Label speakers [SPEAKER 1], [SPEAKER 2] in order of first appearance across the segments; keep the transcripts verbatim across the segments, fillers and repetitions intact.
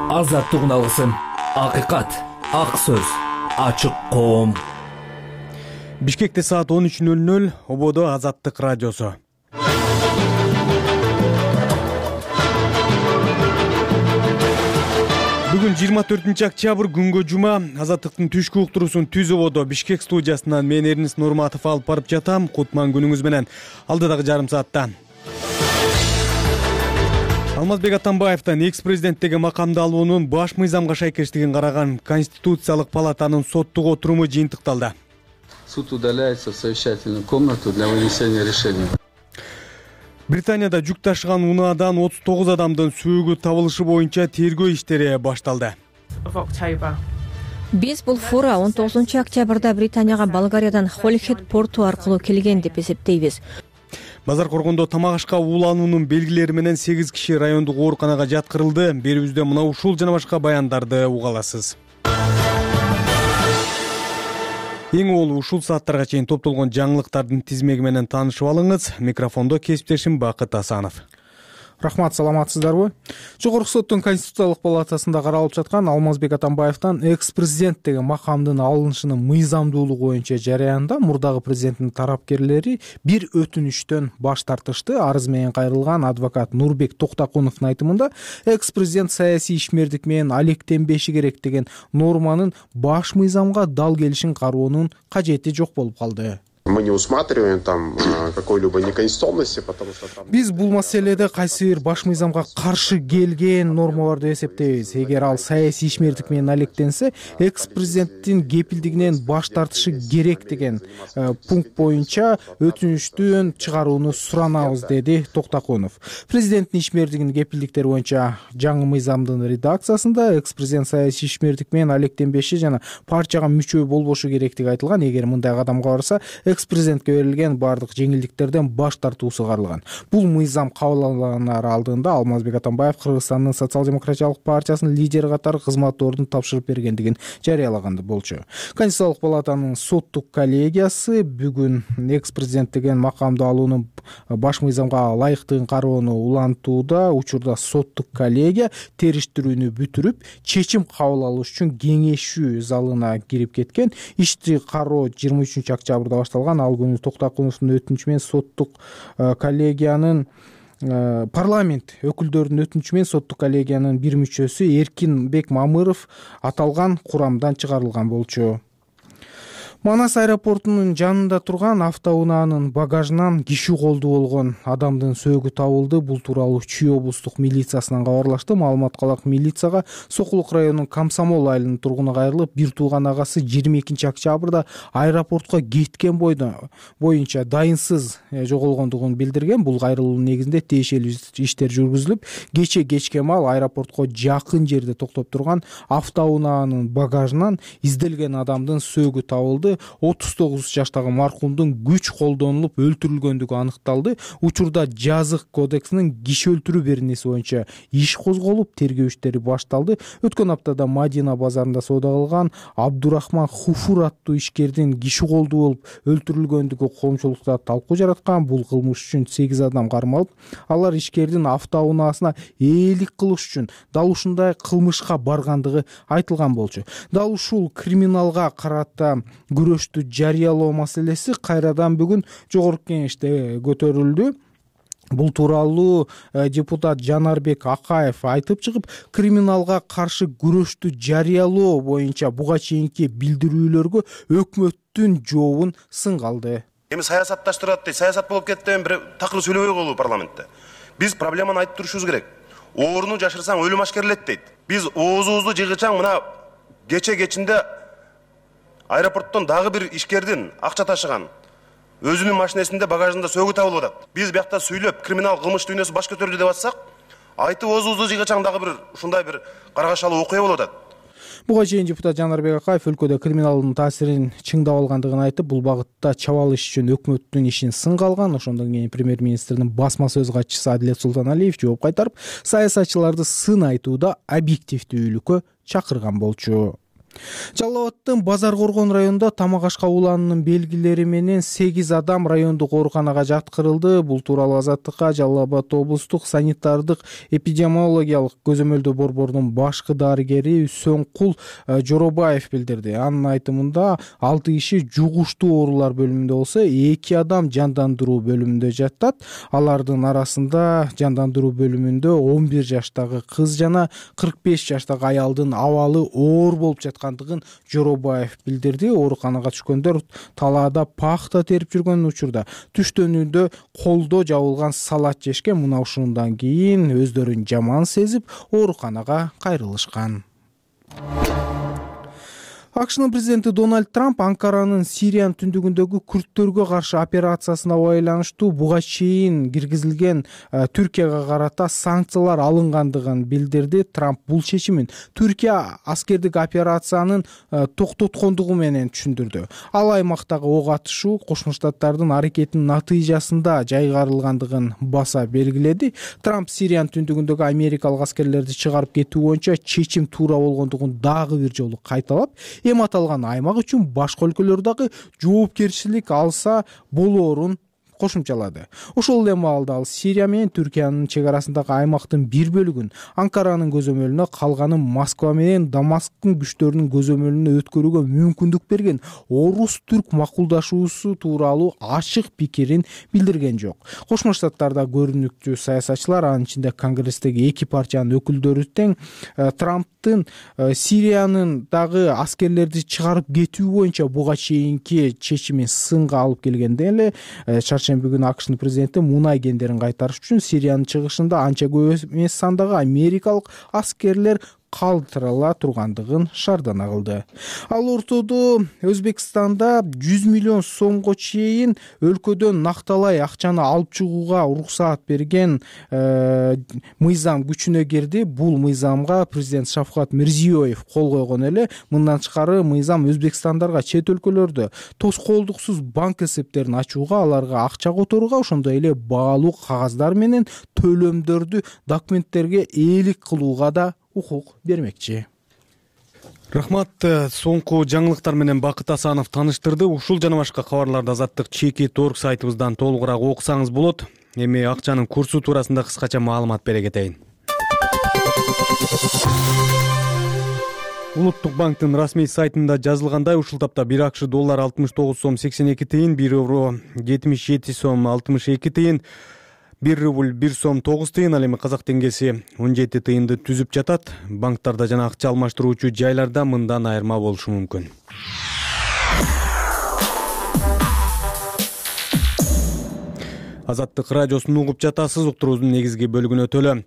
[SPEAKER 1] Азаттык алгысым, акыйкат, ак сөз, ачык коом.
[SPEAKER 2] Бишкекте саат он үч нөл нөл, Ободо Азаттык радиосу. Бүгүн жыйырма төртүнчү октябрь күнгө жума. Азаттыктын түшкү уктуруусун Түз Ободо Бишкек студиясынан мен Эрнис Нурматов алып барып жатам. Кутман күнүңүз менен. Алдыдагы жарым саатта Алмазбек Атамбаевдин экс-президенттеги макамды алуунун баш мыйзамга шайкештигин караган Конституциялык палатанын соттук отуруму жыйынтыкталды.
[SPEAKER 3] Суд удаляется в совещательную комнату для вынесения решения.
[SPEAKER 2] Британияда жүк ташыган унаадан отуз тогуз адамдын сөөгү табылышы боюнча тергөө иштери башталды.
[SPEAKER 4] Биз бул фура он тогузунчу октябрда Британияга Болгариядан Холихед порту аркылуу келген деп эсептейбиз.
[SPEAKER 2] Базар коргондо тамак ашка уулануунун белгилери менен сегиз киши райондук ооруканага жаткырылды. Берүүбүздө мына ушул жана башка баяндарды уга аласыз. Эң ол ушул сааттарга чейин топтолгон жаңылыктардын тизмеги менен таанышып алыңыз. Микрофондо кесиптешим Бакыт Асанов.
[SPEAKER 5] Рахмат, саламатсыздарбы? Жогорку соттун Конституциялык палатасында каралып жаткан Алмазбек Атамбаевдин экс-президенттеги макамдын алынышынын мыйзамдуулугу боюнча жараянда мурдагы президенттин тарапкерлери бир өтүнүштөн баш тартышты. Арыз менен кайрылган адвокат Нурбек Токтокуновдун айтымында экс-президент саясий ишмердик менен алектенбеши керек деген норманын баш мыйзамга дал келишин кароонун кажети жок болуп калды.
[SPEAKER 6] Мы не усматриваем там какой-либо неконституционности, потому что там...
[SPEAKER 5] Биз бул маселеде кайсы бир баш мыйзамга каршы келген норма бар деп эсептейбиз. Эгер ал саясий ишмердик менен алектенсе, экс-президенттин кепилдигинен баш тартышы керек деген пункт боюнча өтүнүштүн чыгарууну суранабыз, деди Токтокунов. Президенттин ишмердигинин кепилдиктери боюнча жаңы мыйзамдын редакциясында экс-президент саясий ишмердик менен алектенбеши жана партияга мүчө болбошу керектиги айтылган. Эгер мындай кадамга барса, экс-президентке берилген бардык жеңилдиктерден баш тартуусу каралган. Бул мыйзам кабыл алынар алдында Алмазбек Атамбаев Кыргызстандын социал-демократиялык партиясынын лидери катары кызмат ордун тапшырып бергендигин жарыялаган болчу. Конституциялык палатанын соттук коллегиясы бүгүн экс-президент деген макамды алуунун баш мыйзамга ылайыктыгын кароону улантууда. Учурда соттук коллегия териштирүүнү бүтүрүп, чечим кабыл алыш үчүн кеңешүү залына кирип кеткен. Ишти кароо жыйырма үчүнчү октябрда башталган. Ал күнү Токтокуновдун өтүнүчү менен соттук коллегиянын парламент өкүлдөрүнүн өтүнүчү менен соттук коллегиянын бир мүчөсү Эркинбек Мамыров аталган курамдан чыгарылган болчу. Манас аэропортунун жанында турган автоунаанын багажынан киши колду болгон адамдын сөөгү табылды. Бул тууралуу Чүй облустук милициясынан кабарлашты. Маалыматка ылайык, милицияга Сокулук районунун Комсомол айылынын тургуну кайрылып, бир тууган агасы жыйырма экинчи октябрда аэропортко кеткен боюнча дайынсыз жоголгондугун билдирген. Бул кайрылуунун негизинде тиешелүү иштер жүргүзүлүп, кече кечке маал аэропортко жакын жерде токтоп турган автоунаанын багажынан изделген адамдын сөөгү табылды. отуз тогуз жаштагы маркумдун күч колдонулуп өлтүрүлгөндүгү аныкталды. Учурда жазык кодексинин киши өлтүрүү беренеси боюнча иш козголуп, тергөө иштери башталды. Өткөн аптада Мадина базарында соода кылган Абдурахман Хуфур аттуу ишкердин киши колду болуп өлтүрүлгөндүгү коомчулукта талкуу жараткан. Бул кылмыш үчүн сегиз адам кармалып, алар ишкердин автоунаасына ээлик кылыш үчүн дал ушундай кылмышка баргандыгы айтылган болчу. Дал ушул криминалга карата күрөштү жарыялоо маселеси кайрадан бүгүн жогорку кеңеште көтөрүлдү. Бул тууралуу депутат Жанарбек Акаев айтып чыгып, криминалга каршы күрөштү жарыялоо боюнча буга чейинки билдирүүлөргө өкмөттүн жообун сынгалды.
[SPEAKER 7] Эми саясатташтырат дейт, саясат болуп кетти, бир такыр сүйлөбөй коелу парламентте. Биз проблеманы айтып турушубуз керек. Ооруну жашырсаң өлүм ашкерлет дейт. Биз оозубузду жыгычаң мына кече кечинде аэропорттон дагы бир ишкердин акча ташыган өзүнүн машинесинде багажында сөөгү табылып атат. Биз биякта сүйлөп криминал кылмыш дүйнөсү баш көтөрдү деп атсак, айтып оозубузду жыгачаң дагы бир ушундай бир каргашалуу окуя болуп атат.
[SPEAKER 5] Буга чейин депутат Жанарбек Акаев өлкөдө криминалдын таасирин чыңдап алгандыгын айтып, бул багытта чабалыш үчүн өкмөттүн ишин сынга алган. Ошондон кийин премьер-министрдин басма сөз катчысы Адилет Султаналиев жооп кайтарып, саясатчыларды сын айтууда объективдүүлүккө чакырган болчу. Жалал абаддын Базар Коргон районунда тамак ашка улануунун белгилери менен сегиз адам райондук ооруканага жаткырылды. Бул тууралуу Азаттыкка Жалал Абад облустук санитардык эпидемиологиялык көзөмөлдөө борборунун башкы дарыгери Сөңкул Жоробаев билдирди. Анын айтымында алты киши жугуштуу оорулар бөлүмүндө болсо, эки адам жандандыруу бөлүмүндө жатат. Алардын арасында жандандыруу бөлүмүндө он бир жаштагы кыз жана кырк беш жаштагы аялдын абалы оор болуп жаткан Жоробаев билдирди. Ооруканага түшкөндөр талаада пахта терип жүргөн учурда түштөнүүдө колдо жабылган салат жешкен. Мына ушундан кийин өздөрүн жаман сезип ооруканага кайрылышкан. АКШнын президенти Дональд Трамп Анкаранын Сириянын түндүгүндөгү күрттөргө каршы операциясына байланыштуу буга чейин киргизилген Түркияга карата санкциялар алынгандыгын билдирди. Трамп бул чечимин Түркия аскердик операциянын токтоткондугу менен түшүндүрдү. Ал аймактагы ок атышуу Кошмо Штаттардын аракетинин натыйжасында жайгарылгандыгын баса белгиледи. Трамп Сириянын түндүгүндөгү америкалык аскерлерди чыгарып кетүү боюнча чечим туура болгондугун дагы бир жолу кайталап, эми аталган аймак үчүн башка өлкөлөр дагы жоопкерчилик алса болоорун кошумчалады. Ошол эле маалда ал Сирия менен Түркиянын чек арасындагы аймактын бир бөлүгүн Анкаранын көзөмөлүнө, калганын Москва менен Дамасктын күчтөрүнүн көзөмөлүнө өткөрүүгө мүмкүндүк берген орус-түрк макулдашуусу тууралуу ачык пикирин билдирген жок. Кошмо Штаттарда көрүнүктүү саясатчылар, анын ичинде Конгресстеги эки партиянын өкүлдөрү тең Трамптын Сириянын дагы аскерлерди чыгарып кетүү боюнча буга чейинки чечимин сынга алып келгенде эле чаршемби күнү АКШнын президенти мунай кендерин кайтарыш үчүн Сириянын чыгышында анча көп эмес сандагы америкалык аскерлер калтырыла тургандыгын шаардана кылды. Ал ортодо Өзбекстанда жүз миллион сомго чейин өлкөдөн накталай акчаны алып чыгууга уруксаат берген э, мыйзам күчүнө кирди. Бул мыйзамга президент Шавкат Мирзиёев кол койгон эле. Мындан тышкары мыйзам Өзбекстандарга чет өлкөлөрдө тоскоолдуксуз банк эсептерин ачууга, аларга акча которууга, ошондой эле баалуу кагаздар менен төлөмдөрдү документтерге ээлик кылууга да укук бермекчи.
[SPEAKER 2] Рахмат. Соңку жаңылыктар менен Бакыт Асанов таныштырды. Ушул жана башка кабарларды Азаттык чекит точка орг сайтыбыздан толугураак окусаңыз болот. Эми акчанын курсу туурасында кыскача маалымат бере кетейин. Улуттук банктын расмий сайтында жазылгандай, ушул тапта бир АКШ доллар алтымыш тогуз сом сексен эки тыйын, бир евро жетимиш жети сом алтымыш эки тыйын, бир рубль бир сом тогуз тыйын, ал эми казак теңгеси он жети тыйынды түзүп жатат. Банктарда жана акча алмаштыруучу жайларда мындан айырма болушу мүмкүн. Азаттык радиосун угуп жатасыз. Уктуруубуздун негизги бөлүгүнө өтөлө.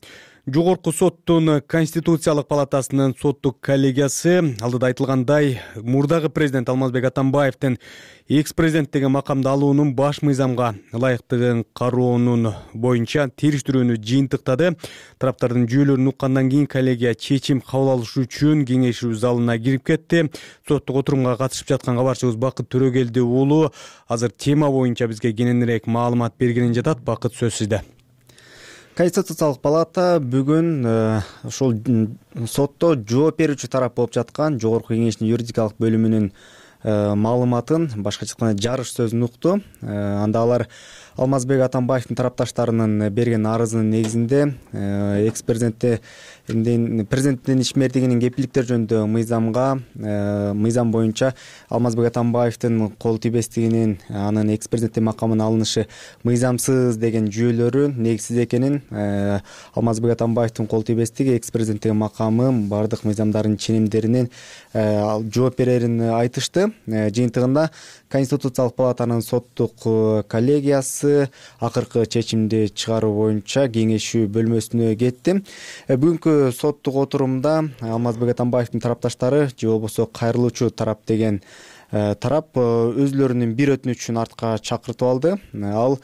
[SPEAKER 2] Жогорку соттун Конституциялык палатасынын соттук коллегиясы алдыда айтылгандай мурдагы президент Алмазбек Атамбаевдин экс-президенттеги макамды алуунун баш мыйзамга ылайыктыгын кароонун боюнча териштирүүнү жыйынтыктады. Тараптардын жүйөлөрүн уккандан кийин коллегия чечим кабыл алыш үчүн кеңешүү залына кирип кетти. Соттук отурумга катышып жаткан кабарчыбыз Бакыт Төрөгелди уулу азыр тема боюнча бизге кененирээк маалымат бергенин жатат. Бакыт, сөз сизде.
[SPEAKER 8] Конституциялык палата бүгүн ошол сотто жооп берүүчү тарап болуп жаткан Жогорку кеңештин юридикалык бөлүмүнүн маалыматын, башкача айтканда жарыш сөзүн укту. Анда алар Алмазбек Атамбаевдин тарапташтарынын берген арызынын негизинде экс-президентте президенттин ишмердигинин кепилдиктер жөнүндө мыйзамга мыйзам боюнча Алмазбек Атамбаевдин кол тийбестигинин, анын экс-президенттин макамына алынышы мыйзамсыз деген жүйөлөрү негизсиз экенин, Алмазбек Атамбаевдин кол тийбестиги экс-президенттин макамы бардык мыйзамдардын ченемдеринен жооп берерин айтышты. Жыйынтыгында Конституциялык палатанын соттук коллегиясы акыркы чечимди чыгаруу боюнча кеңешүү бөлмөсүнө кетти. Бүгүнкү соттук отурумда Алмазбек Атамбаевдин тарапташтары же болбосо кайрылуучу тарап деген тарап өзүлөрүнүн бир өтүнүчүн артка чакыртып алды. Ал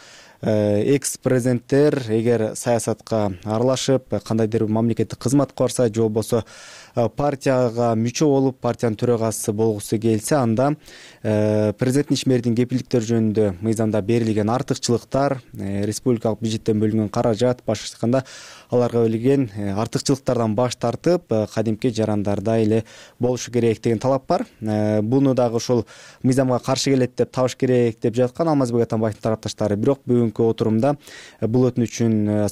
[SPEAKER 8] экс президенттер эгер саясатка аралашып кандайдыр бир мамлекеттик кызматка барса же болбосо партияга мүчө болуп партиянын төрагасы болгусу келсе, анда президенттин ишмердин кепилдиктери жөнүндө мыйзамда берилген артыкчылыктар, республикалык бюджеттен бөлүнгөн каражат, башкача айтканда аларга берилген артыкчылыктардан баш тартып кадимки жарандардай эле болушу керек деген талап бар. Буну дагы ушул мыйзамга каршы келет деп, табыш керек деп жаткан Алмазбек Атамбаевдин тарапташтары. Бирок бүгүнкү отурумда бул өтүнүчүн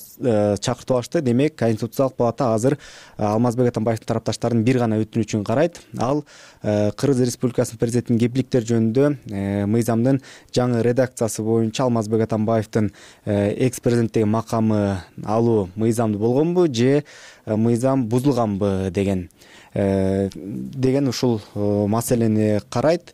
[SPEAKER 8] чакыртып алышты. Демек, Конституциялык палата азыр Алмазбек Атамбаевдин тарапташтарынын бир гана өтүнүчүн карайт. Ал Кыргыз Республикасынын президентинин кепилдиктери жөнүндө мыйзамдын жаңы редакциясы боюнча Алмазбек Атамбаевдин экс президенттеги макамы алуу мыйзамдуу болгонбу же мыйзам бузулганбы деген деген ушул маселени карайт.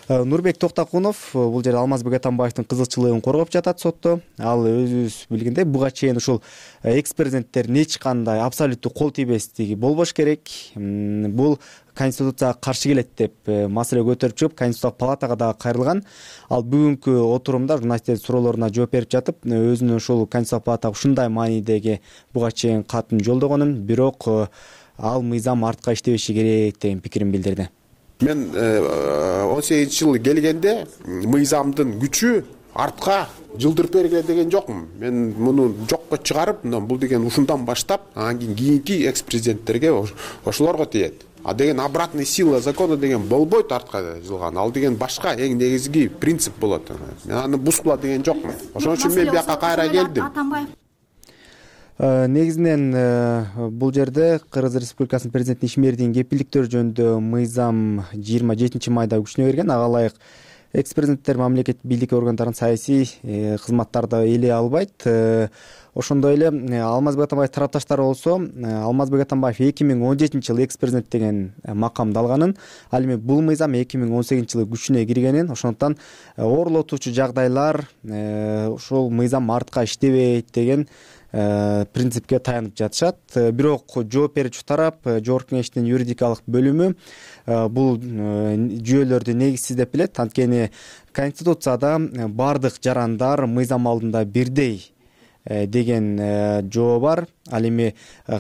[SPEAKER 8] Нурбек Токтокунов бул жерде Алмазбек Атамбаевдин кызыкчылыгын коргоп жатат сотто. Ал өзүбүз билгендей буга чейин ушул экс президенттердин эч кандай абсолюттуу кол тийбестиги болбош керек. Бул Конституцияга каршы келет деп маселе көтөрүп чыгып, Конституциялык палатага дагы кайрылган. Ал бүгүнкү отурумда журналисттердин суроолоруна жооп берип жатып, өзүнүн ушул Конституциялык палатага ушундай маанидеги буга чейин катын жолдогонун, бирок ал мыйзам артка иштебеши керек деген пикирин билдирди.
[SPEAKER 6] Мен он сегизинчи жылы келгенде мыйзамдын күчү артка жылдырып бергиле деген жокмун. Мен муну жокко чыгарып, бул деген ушундан баштап, анан кийин кийинки экс президенттерге ошолорго тиет. А деген обратный сила закона деген болбойт артка жылган. Ал деген башка эң негизги принцип болот. Мен аны бузгула деген жокмун. Ошон үчүн мен бияка кайра келдим.
[SPEAKER 8] Негизинен бул жерде Кыргыз Республикасынын президентинин ишмердин кепилдиктери жөнүндө мыйзам жыйырма жетинчи майда күчүнө кирген. Ага ылайык экс президенттер мамлекеттик бийлик органдарынын саясий кызматтарды ээлей албайт. Ошондой эле Алмазбек Атамбаев тарапташтары болсо, Алмазбек Атамбаев эки миң он жетинчи жылы экс президент деген макамды алганын, ал эми бул мыйзам эки миң он сегизинчи жылы күчүнө киргенин, ошондуктан оорлотуучу жагдайлар ушул мыйзам артка иштебейт деген принципке таянып жатышат. Бирок жооп берүүчү тарап, Жогорку Кеңештин юридикалык бөлүмү бул жүйөлөрдү негизсиз деп билет. Анткени Конституцияда бардык жарандар мыйзам алдында бирдей деген жоо бар. Ал эми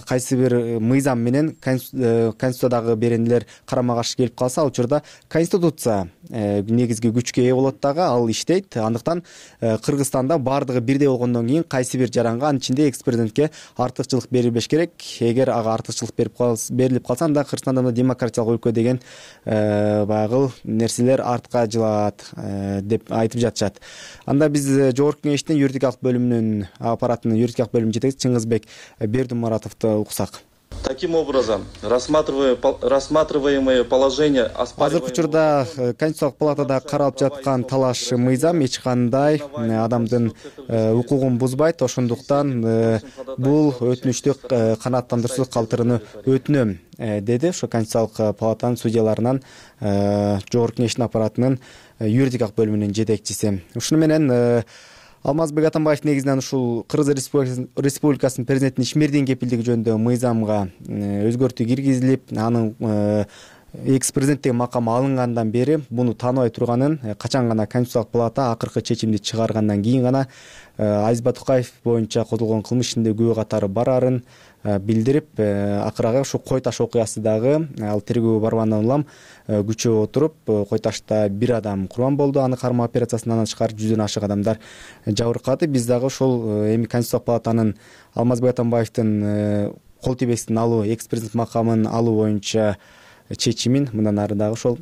[SPEAKER 8] кайсы бир мыйзам менен Конституциядагы беренелер карама каршы келип калса, ал учурда Конституция негизги күчкө ээ болот дагы, ал иштейт. Андыктан Кыргызстанда бардыгы бирдей болгондон кийин кайсы бир жаранга, анын ичинде экс президентке артыкчылык берилбеш керек. Эгер ага артыкчылык берилип калса, анда Кыргызстанда демократиялык өлкө деген баягы нерселер артка жылат деп айтып жатышат. Анда биз Жогорку Кеңештин юридикалык бөлүмүнүн аппаратынын юридикалык бөлүмүнүн жетекчиси Чыңгызбек Бердимуратовду уксак.
[SPEAKER 9] Таким образом, рассматриваемые положения
[SPEAKER 8] азыркы учурда Конституциялык палатада каралып жаткан талаш мыйзам эч кандай адамдын укугун бузбайт. Ошондуктан бул өтүнүчтү канааттандыруусуз калтырууну өтүнөм, деди ошо Конституциялык палатанын судьяларынан Жогорку Кеңештин аппаратынын юридикалык бөлүмүнүн жетекчиси. Ушуну менен Алмазбек Атамбаев негизинен ушул Кыргыз Республикасынын президентинин ишмердин кепилдиги жөнүндө мыйзамга өзгөртүү киргизилип, анын экс президенттеги макамы алынгандан бери буну тааныбай турганын, качан гана Конституциялык палата акыркы чечимди чыгаргандан кийин гана Азиз Батукаев боюнча козголгон кылмыш ишинде күбө катары барарын билдирип, акыры ушу Кой таш окуясы дагы ал тергөө баргандан улам күчөп отуруп, Кой ташта бир адам курман болду, аны кармоо операциясынан тышкары жүздөн ашык адамдар жабыркады. Биз дагы ошол эми Конституциялык палатанын Алмазбек Атамбаевдин кол тийбестин алуу, экс президент макамын алуу боюнча чечимин мындан ары дагы ошол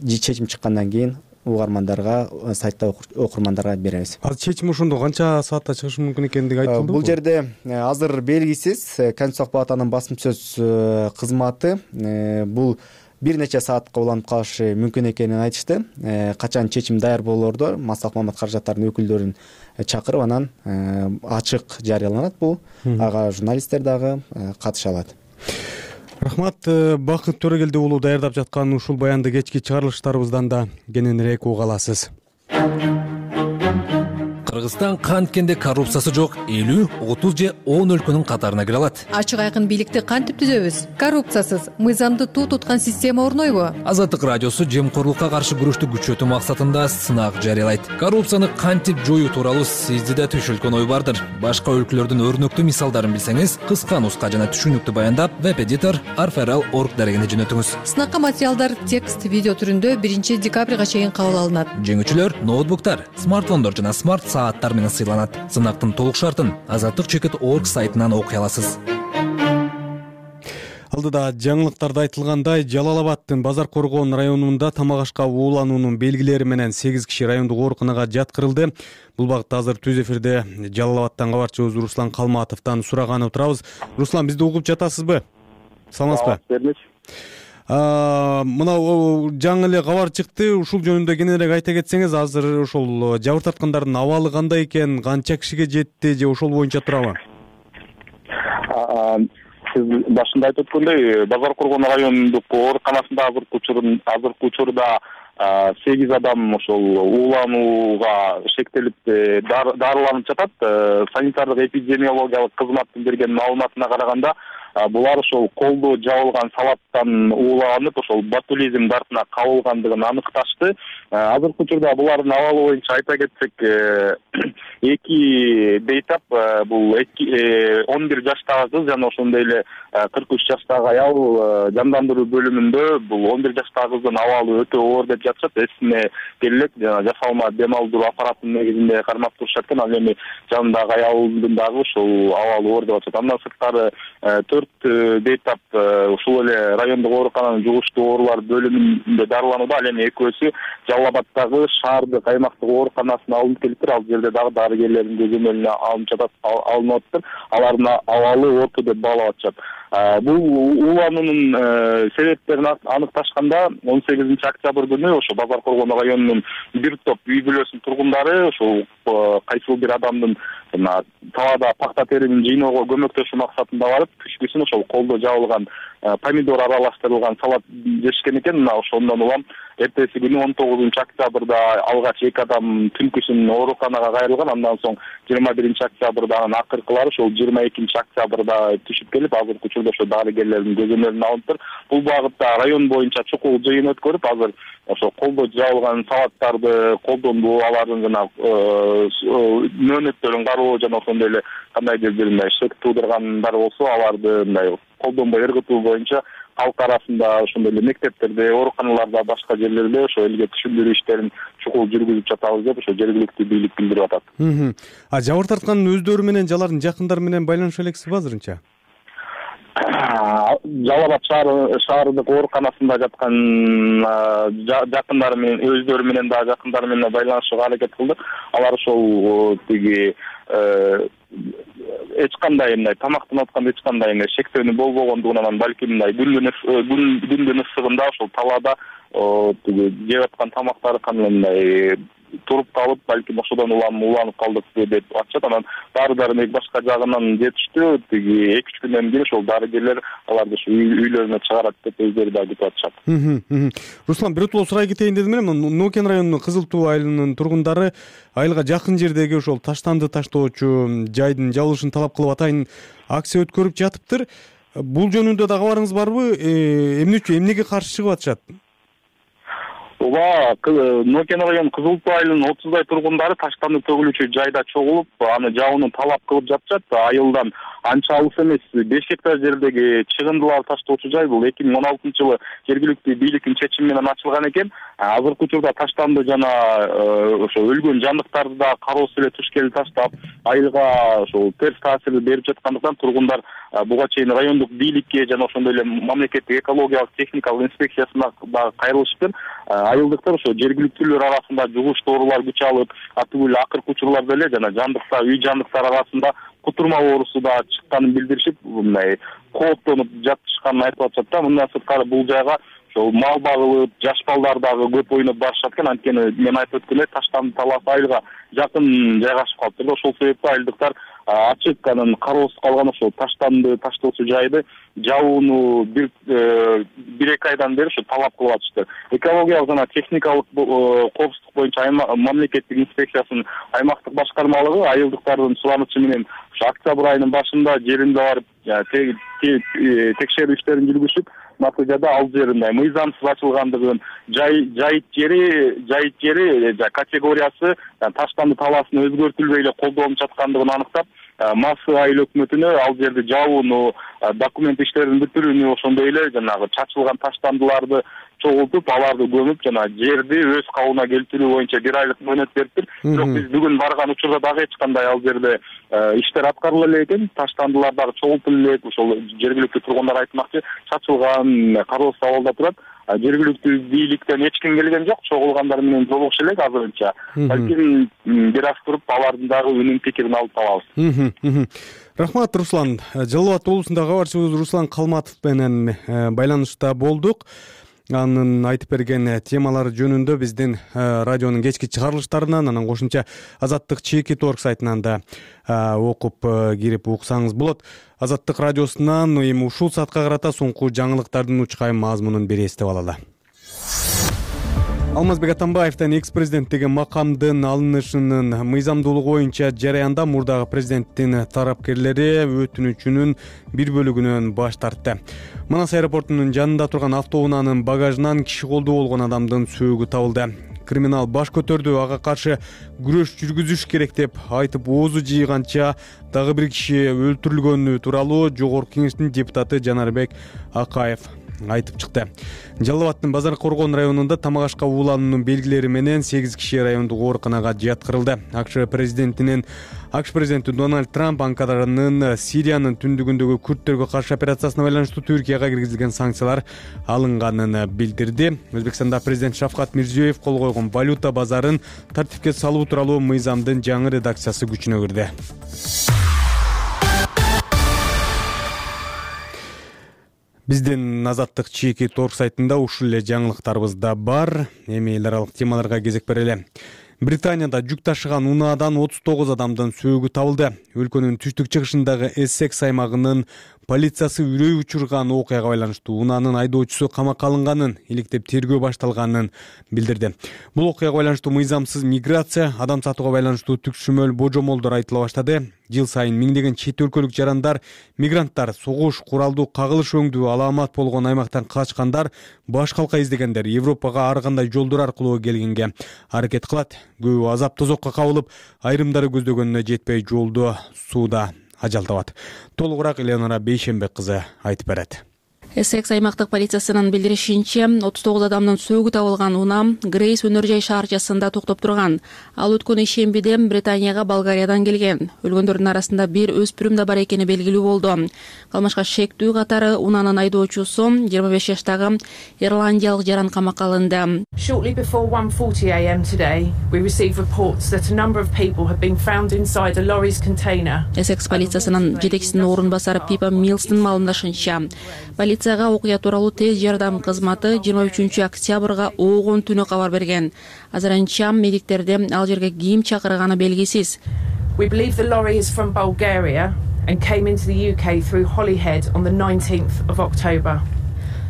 [SPEAKER 8] чечим чыккандан кийин угармандарга, сайтта окурмандарга беребиз.
[SPEAKER 2] Ал чечим ошондо канча саатта чыгышы мүмкүн экендиги айтылды.
[SPEAKER 8] Бул жерде азыр белгисиз. Конституциялык палатанын басым сөз кызматы бул бир нече саатка уланып калышы мүмкүн экенин айтышты. Качан чечим даяр болоордо маслак маамат каражаттарынын өкүлдөрүн чакырып, анан ачык жарыяланат бул. Ага журналисттер дагы катыша алат.
[SPEAKER 2] Рахмат. Бакыт Төрөгелди уулу даярдап жаткан ушул баянды кечки чыгарылыштарыбыздан да кененирээк уга аласыз.
[SPEAKER 1] Кыргыз Кыргызстан канткенде коррупциясы жок элүү, отуз же он өлкөнүн катарына кире алат.
[SPEAKER 10] Ачык айкын бийликти кантип түзөбүз? Коррупциясыз, мыйзамды туу туткан система орнойбу?
[SPEAKER 1] Азаттык радиосу жемкорлукка каршы күрөштү күчөтүү максатында сынак жарыялайт. Коррупцияны кантип жоюу тууралуу сизде да түшүлгөн ой бардыр. Башка өлкөлөрдүн өрнөктүү мисалдарын билсеңиз, кыска нуска жана түшүнүктүү баяндап, веб-эдитор арферал точка орг дарегине жөнөтүңүз.
[SPEAKER 10] Сынакка материалдар текст, видео түрүндө биринчи декабрга чейин кабыл алынат.
[SPEAKER 1] Жеңүүчүлөр ноутбуктар, смартфондор жана смарт сааттар менен сыйланат. Сынактын толук шартын азаттык чекит точка орг сайтынан окуй аласыз.
[SPEAKER 2] Алдыда жаңылыктарда айтылгандай, Жалал Абаддын Базар Коргон районунда тамак ашка уулануунун белгилери менен сегиз киши райондук ооруканага жаткырылды. Бул багытта азыр түз эфирде Жалал Абаддан кабарчыбыз Руслан Калматовдон сураганы турабыз. Руслан, бизди угуп жатасызбы? Саламатсызбы? Мына жаңы эле кабар чыкты, ушул жөнүндө кененирээк айта кетсеңиз, азыр ошол жабыр тарткандардын абалы кандай экен, канча кишиге жетти же ошол боюнча турабы?
[SPEAKER 11] Сиз башында айтып өткөндөй, Базар Коргон районундук ооруканасында азыркы учурун азыркы учурда сегиз адам ошол ууланууга шектелип дарыланып жатат. Санитардык эпидемиологиялык кызматтын берген маалыматына караганда, булар ошол колдо жабылган салаттан ууланып, ошол ботулизм дартына кабылгандыгын аныкташты. Азыркы учурда булардын абалы боюнча айта кетсек, эки бейтап, бул он бир жаштагы кыз жана ошондой эле кырк үч жаштагы аял жандандыруу бөлүмүндө бул он бир жаштагы кыздын абалы өтө оор деп жатышат. Эсине келек жана жасалма дем алдыруу аппаратынын негизинде кармап турушат экен. Ал эми жанындагы аялдын дагы ошол абалы оор деп атышат. Андан сырткары төрт бейтап ушул эле райондук оорукананын жугуштуу оорулар бөлүмүндө дарыланууда. Ал эми экөөсү Жалал Абаддагы шаардык аймактык ооруканасына алынып келиптир. Ал жерде дагы дарыгерлердин көзөмөлүнө алынып жатат, алынып атыптыр. Алардын абалы орто деп баалап атышат. Бул уулануунун себептерин аныкташканда он сегизинчи октябрь күнү ошо Базар Коргон районунун бир топ үй бүлөсүнүн тургундары ошол кайсыл бир адамдын талаада пакта теринин жыйноого көмөктөшүү максатында барып, түшкүсүн ошол колдо жабылган помидор аралаштырылган салат жешкен экен. Мына ошондон улам эртеси күнү он тогузунчу октябрда алгач эки адам түнкүсүн ооруканага кайрылган. Андан соң жыйырма биринчи октябрда анын акыркылары ошол жыйырма экинчи октябрда түшүп келип, азыркы учурда ошо дарыгерлердин көзөмөлүнө алыныптыр. Бул багытта район боюнча чукул жыйын өткөрүп, азыр ошо колдо жабылган салаттарды колдонбоо, алардын жана мөөнөттөрүн кароо жана ошондой эле кандайдыр бир мындай шек туудургандар болсо, аларды мындай колдонбой ыргытуу боюнча калк арасында ошондой эле мектептерде, ооруканаларда, башка жерлерде ошо элге түшүндүрүү иштерин чукул жүргүзүп жатабыз деп ошо жергиликтүү бийлик билдирип атат.
[SPEAKER 2] А жабыр тарткандын өздөрү менен же алардын жакындары менен байланыша элексизби азырынча?
[SPEAKER 11] Жалал Абад шаарындык ооруканасында жаткан жакындары менен, өздөрү менен дагы жакындары менен байланышууга аракет кылдык. Алар ошол тиги эч кандай мындай тамактанып атканда эч кандай мындай шектөөнү болбогондугунан, балки мындай күндүн ысыгында ошол талаада тиги жеп аткан тамактары кандай мындай туруп калып, балким ошодон улам ууланып калдык деп атышат. Анан дары-дармек башка жагынан жетиштүү. Тиги эки үч күндөн кийин ошол дарыгерлер аларды ушу үйлөрүнө чыгарат деп өздөрү дагы күтүп атышат.
[SPEAKER 2] Руслан, биротоло сурай кетейин дедим эле. Нокен районунун Кызыл Туу айылынын тургундары айылга жакын жердеги ошол таштанды таштоочу жайдын жабылышын талап кылып атайын акция өткөрүп жатыптыр. Бул жөнүндө да кабарыңыз барбы? Эмне үчүн, эмнеге каршы чыгып атышат?
[SPEAKER 11] Ооба, Нокен район Кызыл Туу айылынын отуздай тургундары таштанды төгүлүүчү жайда чогулуп, аны жабууну талап кылып жатышат. Айылдан анча алыс эмес беш гектар жердеги чыгындылар таштоочу жай бул эки миң он алтынчы жылы жергиликтүү бийликтин чечими менен ачылган экен. Азыркы учурда таштанды жана ошо өлгөн жандыктарды да кароосуз эле түшкели таштап, айылга ошол терс таасир берип жаткандыктан тургундар буга чейин райондук бийликке жана ошондой эле мамлекеттик экологиялык техникалык инспекциясына дагы кайрылышыптыр. Айылдыктар ошо жергиликтүүлөр арасында жугуштуу оорулар күч алып, атып эле акыркы учурларда эле жана жандыктар, үй жандыктар арасында кутурма оорусу да чыкканын билдиришип, мындай кооптонуп жатышканын айтып атышат да. Мындан сырткары бул жайга ошол мал багылып, жаш балдар дагы көп ойноп барышат экен. Анткени мен айтып өткөндөй таштанды талаасы айылга жакын жайгашып калыптыр. Ошол себептен айылдыктар ачык анан кароосуз калган ошол таштанды таштоочу жайды жабууну бир бир эки айдан бери ушу талап кылып атышты. Экологиялык жана техникалык коопсуздук боюнча мамлекеттик инспекциясынын аймактык башкармалыгы айылдыктардын суранычы менен ушу октябрь айынын башында жеринде барып текшерүү иштерин жүргүзүп, натыйжада ал жер мындай мыйзамсыз ачылгандыгын, жайыт жери жайыт жери категориясы таштанды талаасын өзгөртүлбөй эле колдонуп жаткандыгын аныктап, Массы айыл өкмөтүнө ал жерди жабууну, документ иштерин бүтүрүүнү, ошондой эле жанагы чачылган таштандыларды чогултуп, аларды көмүп, жана жерди өз кабына келтирүү боюнча бир айлык мөөнөт бериптир. Бирок биз бүгүн барган учурда дагы эч кандай ал жерде иштер аткарыла элек экен, таштандылар дагы чогултула элек. Ошол жергиликтүү тургундар айтмакчы, чачылган, кароосуз абалда турат. Жергиликтүү бийликтен эч ким келген жок, чогулгандар менен жолугуша элек азырынча. Балким бир аз туруп алардын дагы үнүн пикирин алып алабыз.
[SPEAKER 2] Рахмат, Руслан. Жалал Абад облусундагы кабарчыбыз Руслан Калматов менен байланышта болдук. Анын айтып берген темалары жөнүндө биздин радионун кечки чыгарылыштарынан, анан кошумча Азаттык чекит точка орг сайтынан да окуп кирип уксаңыз болот. Азаттык радиосунан эми ушул саатка карата соңку жаңылыктардын учкай мазмунун бир эстеп алалы. Алмазбек Атамбаевдин экс-президенттиги макамдын алынышынын мыйзамдуулугу боюнча жараянда мурдагы президенттин тарапкерлери өтүнүчүнүн бир бөлүгүнөн баш тартты. Манас аэропортунун жанында турган автоунаанын багажынан киши колдуу болгон адамдын сөөгү табылды. Криминал баш көтөрдү, ага каршы күрөш жүргүзүш керек деп айтып оозу жыйганча дагы бир киши өлтүрүлгөнү тууралуу Жогорку Кеңештин депутаты Жанарбек Акаев айтып чыкты. Жалал Абадтын Базар Коргон районунда тамак ашка уулануунун белгилери менен сегиз киши райондук ооруканага жаткырылды. АКШ президентинин АКШ президенти Дональд Трамп Анкаранын Сириянын түндүгүндөгү күрттөргө каршы операциясына байланыштуу Түркияга киргизилген санкциялар алынганын билдирди. Өзбекстанда президент Шавкат Мирзиёев кол койгон валюта базарын тартипке салуу тууралуу мыйзамдын жаңы редакциясы күчүнө кирди. Биздин Азаттык чекит точка орг сайтында ушул эле жаңылыктарыбыз да бар. Эми эл аралык темаларга кезек берели. Британияда жүк ташыган унаадан отуз тогуз адамдын сөөгү табылды. Өлкөнүн түштүк чыгышындагы Эссекс аймагынын полициясы үрөй учурган окуяга байланыштуу унаанын айдоочусу камакка алынганын, иликтеп тергөө башталганын билдирди. Бул окуяга байланыштуу мыйзамсыз миграция, адам сатууга байланыштуу түкшүмөл божомолдор айтыла баштады. Жыл сайын миңдеген чет өлкөлүк жарандар, мигранттар, согуш, куралдуу кагылыш өңдүү аламат болгон аймактан качкандар, баш калка издегендер Европага ар кандай жолдор аркылуу келгенге аракет кылат. Көбү азап тозокко кабылып, айрымдары көздөгөнүнө жетпей жолдо сууда ажал табат. Толугураак Элеонора Бейшембек кызы айтып берет.
[SPEAKER 12] Эссекс аймактык полициясынын билдиришинче, отуз тогуз адамдын сөөгү табылган унаа Грейс өнөр жай шаарчасында токтоп турган. Ал өткөн ишембиде Британияга Болгариядан келген. Өлгөндөрдүн арасында бир өспүрүм да бар экени белгилүү болду. Калмашка шектүү катары унаанын айдоочусу жыйырма беш жаштагы ирландиялык жаран камакка алынды.
[SPEAKER 13] Shortly before one forty a m today, we received reports that a number of people have been found inside a lorry's container.
[SPEAKER 12] Эссекс полициясынын жетекчисинин орун басары Пипа Милстин маалымдашынча, полицияга окуя тууралуу тез жардам кызматы жыйырма үчүнчү октябрга оогон түнү кабар берген. Азырынча медиктерде ал жерге ким чакырганы белгисиз.
[SPEAKER 13] We believe the lorry is from Bulgaria and came into the U K through Holyhead on the nineteenth of October.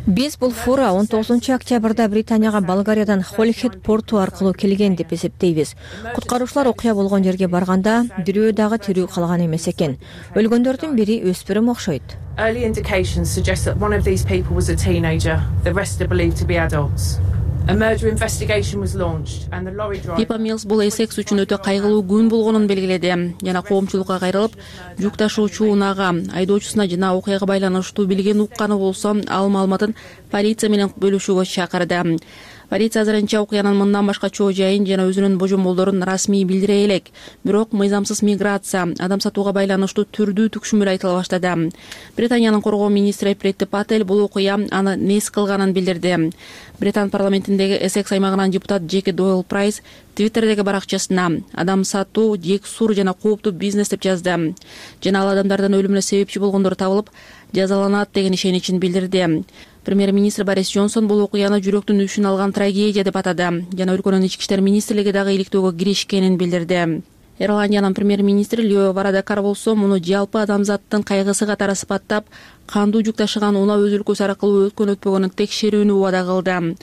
[SPEAKER 4] Биз бул фура он тогузунчу октябрда Британияга Болгариядан Холихед порту аркылуу келген деп эсептейбиз. Куткаруучулар окуя болгон жерге барганда бирөө дагы тирүү калган эмес экен. Өлгөндөрдүн бири өспүрүм окшойт.
[SPEAKER 13] Early indications suggest that one of these people was a teenager. The rest are believed to be adults. A murder investigation was launched and the lorry driver
[SPEAKER 12] Пипа Милс бул Эссекс үчүн өтө кайгылуу күн болгонун белгиледи. Жана коомчулукка кайрылып, жүк ташуучу унаага, айдоочусуна жана окуяга байланыштуу билген укканы болсо, ал маалыматын полиция менен бөлүшүүгө чакырды. Полиция азырынча окуянын мындан башка чоо жайын жана өзүнүн божомолдорун расмий билдире элек. Бирок мыйзамсыз миграция, адам сатууга байланыштуу түрдүү түкшүмөл айтыла баштады. Британиянын коргоо министри Претти Патель бул окуя аны нес кылганын билдирди. Британ парламентиндеги Эссекс аймагынан депутат Джеки Дойл Прайс Твиттердеги баракчасына адам сатуу, жексур жана кооптуу бизнес деп жазды. Жана ал адамдардын өлүмүнө себепчи болгондор табылып, жазаланат деген ишеничин билдирди. Премьер-министр Борис Джонсон бул окуяны жүрөктүн үшүн алган трагедия деп атады. Жана өлкөнүн ички иштер министрлиги дагы иликтөөгө киришкенин билдирди. Ирландиянын премьер-министри Лео Варадакар болсо муну жалпы адамзаттын кайгысы катары сыпаттап, кандуу жүк ташыган унаа өз өлкөсү аркылуу өткөн өтпөгөнүн текшерүүнү убада кылды.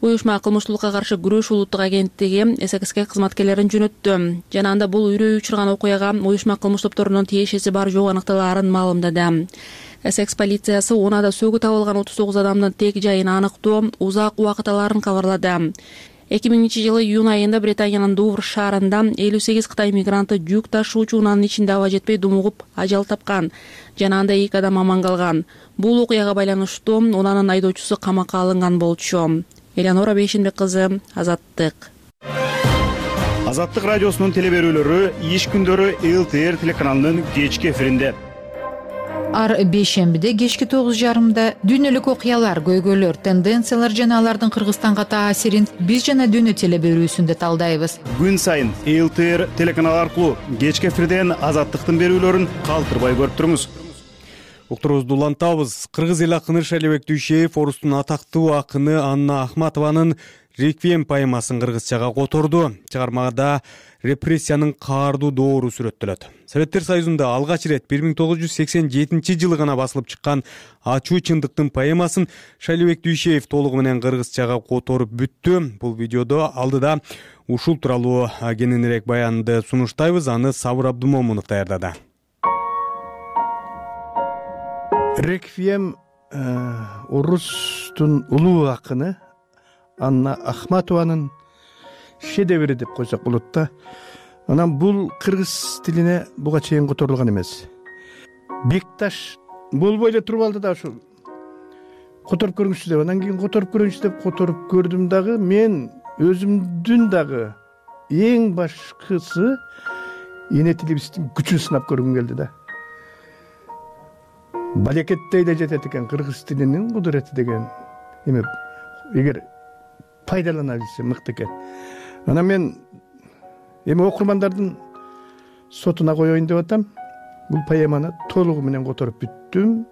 [SPEAKER 12] Уюшма кылмыштуулукка каршы күрөш улуттук агенттиги эс эк эске кызматкерлерин жөнөттү жана анда бул үрөй учурган окуяга уюшма кылмыш топторунун тиешеси бар жок аныкталаарын маалымдады. Эссекс полициясы унаада сөгү табылган отуз тогуз адамдын тек жайын аныктоо узак убакыт аларын кабарлады. эки миңинчи жылы июнь айында Британиянын Дувр шаарында элүү сегиз Кытай мигранты жүк ташуучу унаанын ичинде аба жетпей думугуп ажал тапкан жана анда эки адам аман калган. Бул окуяга байланыштуу унаанын айдоочусу камакка алынган болчу. Элеонора Бейшенбек кызы, Азаттык.
[SPEAKER 14] Азаттык радиосунун телеберүүлөрү иш күндөрү эл ти эр телеканалынын кечки эфиринде.
[SPEAKER 15] Ар бейшембиде кечки тогуз жарымда дүйнөлүк окуялар, көйгөйлөр, тенденциялар жана алардын Кыргызстанга таасирин биз жана дүйнө телеберүүсүндө талдайбыз.
[SPEAKER 14] Күн сайын эл ти эр телеканалы аркылуу кечки эфирден Азаттыктын берүүлөрүн калтырбай көрүп туруңуз.
[SPEAKER 2] Уктуруубузду улантабыз. Кыргыз эл акыны Шайлебек Дүйшеев Орустун атактуу акыны Анна Ахматованын «Реквием» поэмасын кыргызчага которду. Чыгармада репрессиянын каардуу доору сүрөттөлөт. Советтер Союзунда алгач ирет бир миң тогуз жүз сексен жетинчи жылы гана басылып чыккан «Ачуу чындыктын» поэмасын Шайлебек Дүйшеев толугу менен кыргызчага которуп бүттү. Бул видеодо алдыда ушул тууралуу кененирээк баянды сунуштайбыз. Аны Сабыр Абдумомунов даярдады.
[SPEAKER 16] «Реквием» орустун улуу акыны Анна Ахматованын шедеври деп койсок болот да. Анан бул кыргыз тилине буга чейин которулган эмес. Бекташ болбой эле туруп алды да ушул которуп көрүңүзчү деп. Анан кийин которуп көрүңүзчү деп которуп көрдүм дагы. Мен өзүмдүн дагы эң башкысы эне тилибиздин күчүн сынап көргүм келди да. Балекеттей эле жетет экен кыргыз тилинин кудурети деген эме, эгер пайдалана билсе мыкты экен. Анан мен эми окурмандардын сотуна коеюн деп атам. Бул поэманы толугу менен которуп бүттүм.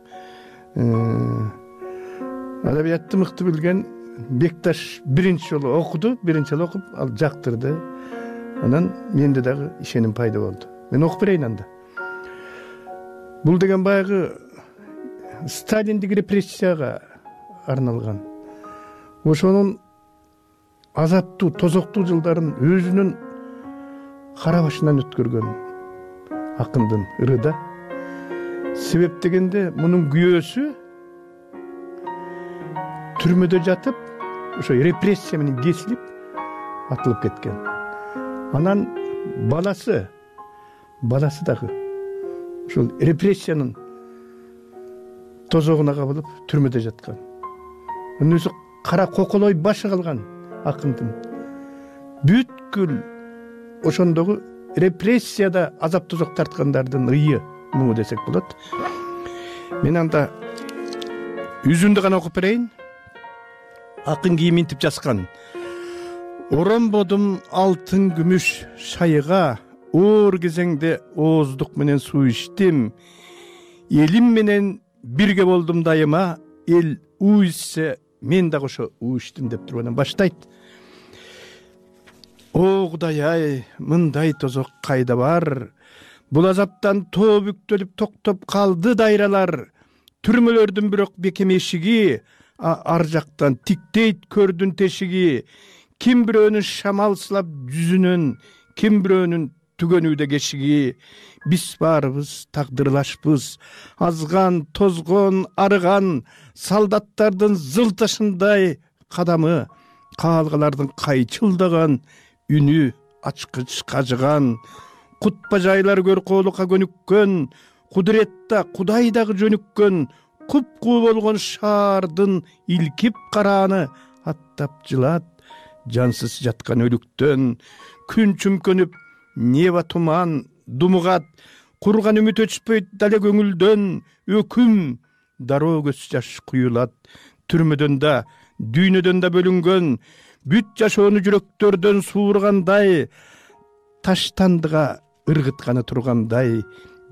[SPEAKER 16] Адабиятты мыкты билген Бекташ биринчи жолу окуду, биринчи жолу окуп, ал жактырды. Анан менде дагы ишеним пайда болду. Мен окуп берейин анда. Бул деген баягы Сталиндик репрессияга арналган. Ошонун азаптуу, тозоктуу жылдарын өзүнүн кара башынан өткөргөн акындын ырыда. Себеп дегенде мунун күйөөсү түрмөдө жатып, ошо репрессия менен кесилип атылып кеткен. Анан баласы, баласы дагы ошол репрессиянын тозогуна кабылып түрмөдө жаткан. Анын өзү кара коколой башы калган акындын бүткүл ошондогу репрессияда азап тозок тарткандардын ыйы муңу десек болот. Мен анда үзүндү гана окуп берейин. Акын кийим интип жазган. Оромбодум алтын күмүш шайыга, оор кезеңде ооздук менен суу ичтим. Элим менен бирге болдум дайыма, эл уу ичсе мен дагы ошо уу ичтим деп туруп анан баштайт. О Кудай ай, мындай тозок кайда бар? Бул азаптан тоо бүктөлүп токтоп калды дайралар. Түрмөлөрдүн бирок бекем эшиги, ар жактан тиктейт көрдүн тешиги. Ким бирөөнүн шамал сылап жүзүнөн, ким бирөөнүн түгөнүүдө кешиги. Биз баарыбыз тагдырлашпыз, азган, тозгон, арыган, солдаттардын зылташындай кадамы, каалгалардын кайчылдаган үнү ачкыч кажыган, кут бажайлар көркөөлүкка көнүккөн, кудуретта Кудай дагы жөнүккөн, куп-куу болгон шаардын илкип карааны аттап жылат, жансыз жаткан өлүктөн, күн чүмкөнүп, неба туман думугат, курган үмүт өчпөйт дале көңүлдөн, өкүм дароо көз жаш куюлат. Түрмөдөн да, дүйнөдөн да бөлүнгөн, бүт жашоону жүрөктөрдөн суургандай, таштандыга ыргытканы тургандай,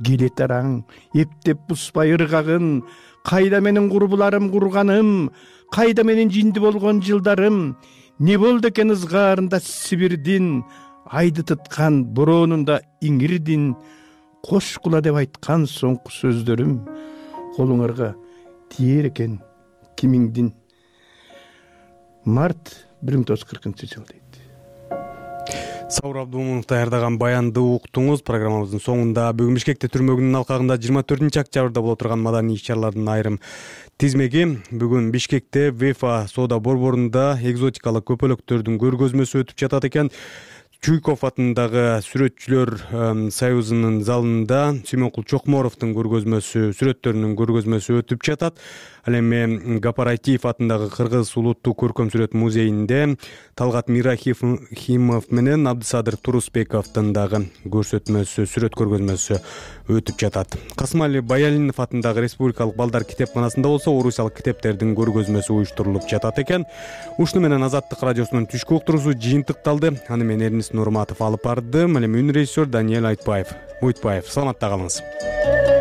[SPEAKER 16] келет араң, эптеп бузбай ыргагын, кайда менин курбуларым курганым, кайда менин жинди болгон жылдарым, не болду экен ызгаарында Сибирдин, айды тыткан бороонунда иңирдин, кош кула деп айткан соңку сөздөрүм колуңарга тиер экен кимиңдин. Март бир миң тогуз жүз кыркынчы жыл дейт.
[SPEAKER 2] Саур Абдумунов даярдаган баянды уктуңуз. Программабыздын соңунда бүгүн Бишкекте түрмөгүнүн алкагында жыйырма төртүнчү октябрда боло турган маданий иш-чаралардын айрым тизмеги. Бүгүн Бишкекте Вефа соода борборунда экзотикалык көпөлөктөрдүн көргөзмөсү өтүп жатат экен. Чуйков атындагы Сүрөтчүлөр союзунун залында Сүймөнкул Чокморовдун көргөзмөсү, сүрөттөрүнүн көргөзмөсү өтүп жатат. Ал эми Гапар Айтиев атындагы Кыргыз улуттук көркөм сүрөт музейинде Талгат Мирахимов менен Абдысадыр Турусбековдун дагы көрсөтмөсү, сүрөт көргөзмөсү өтүп жатат. Касымали Баялинов атындагы Республикалык балдар китепканасында болсо орусиялык китептердин көргөзмөсү уюштурулуп жатат экен. Ушуну менен Азаттык радиосунун түшкү уктуруусу жыйынтыкталды. Аны мен Эрнис Нурматов алып бардым. Ал эми үн режиссер Даниэль Айтбаев. Буйтбаев, саламатта калыңыз.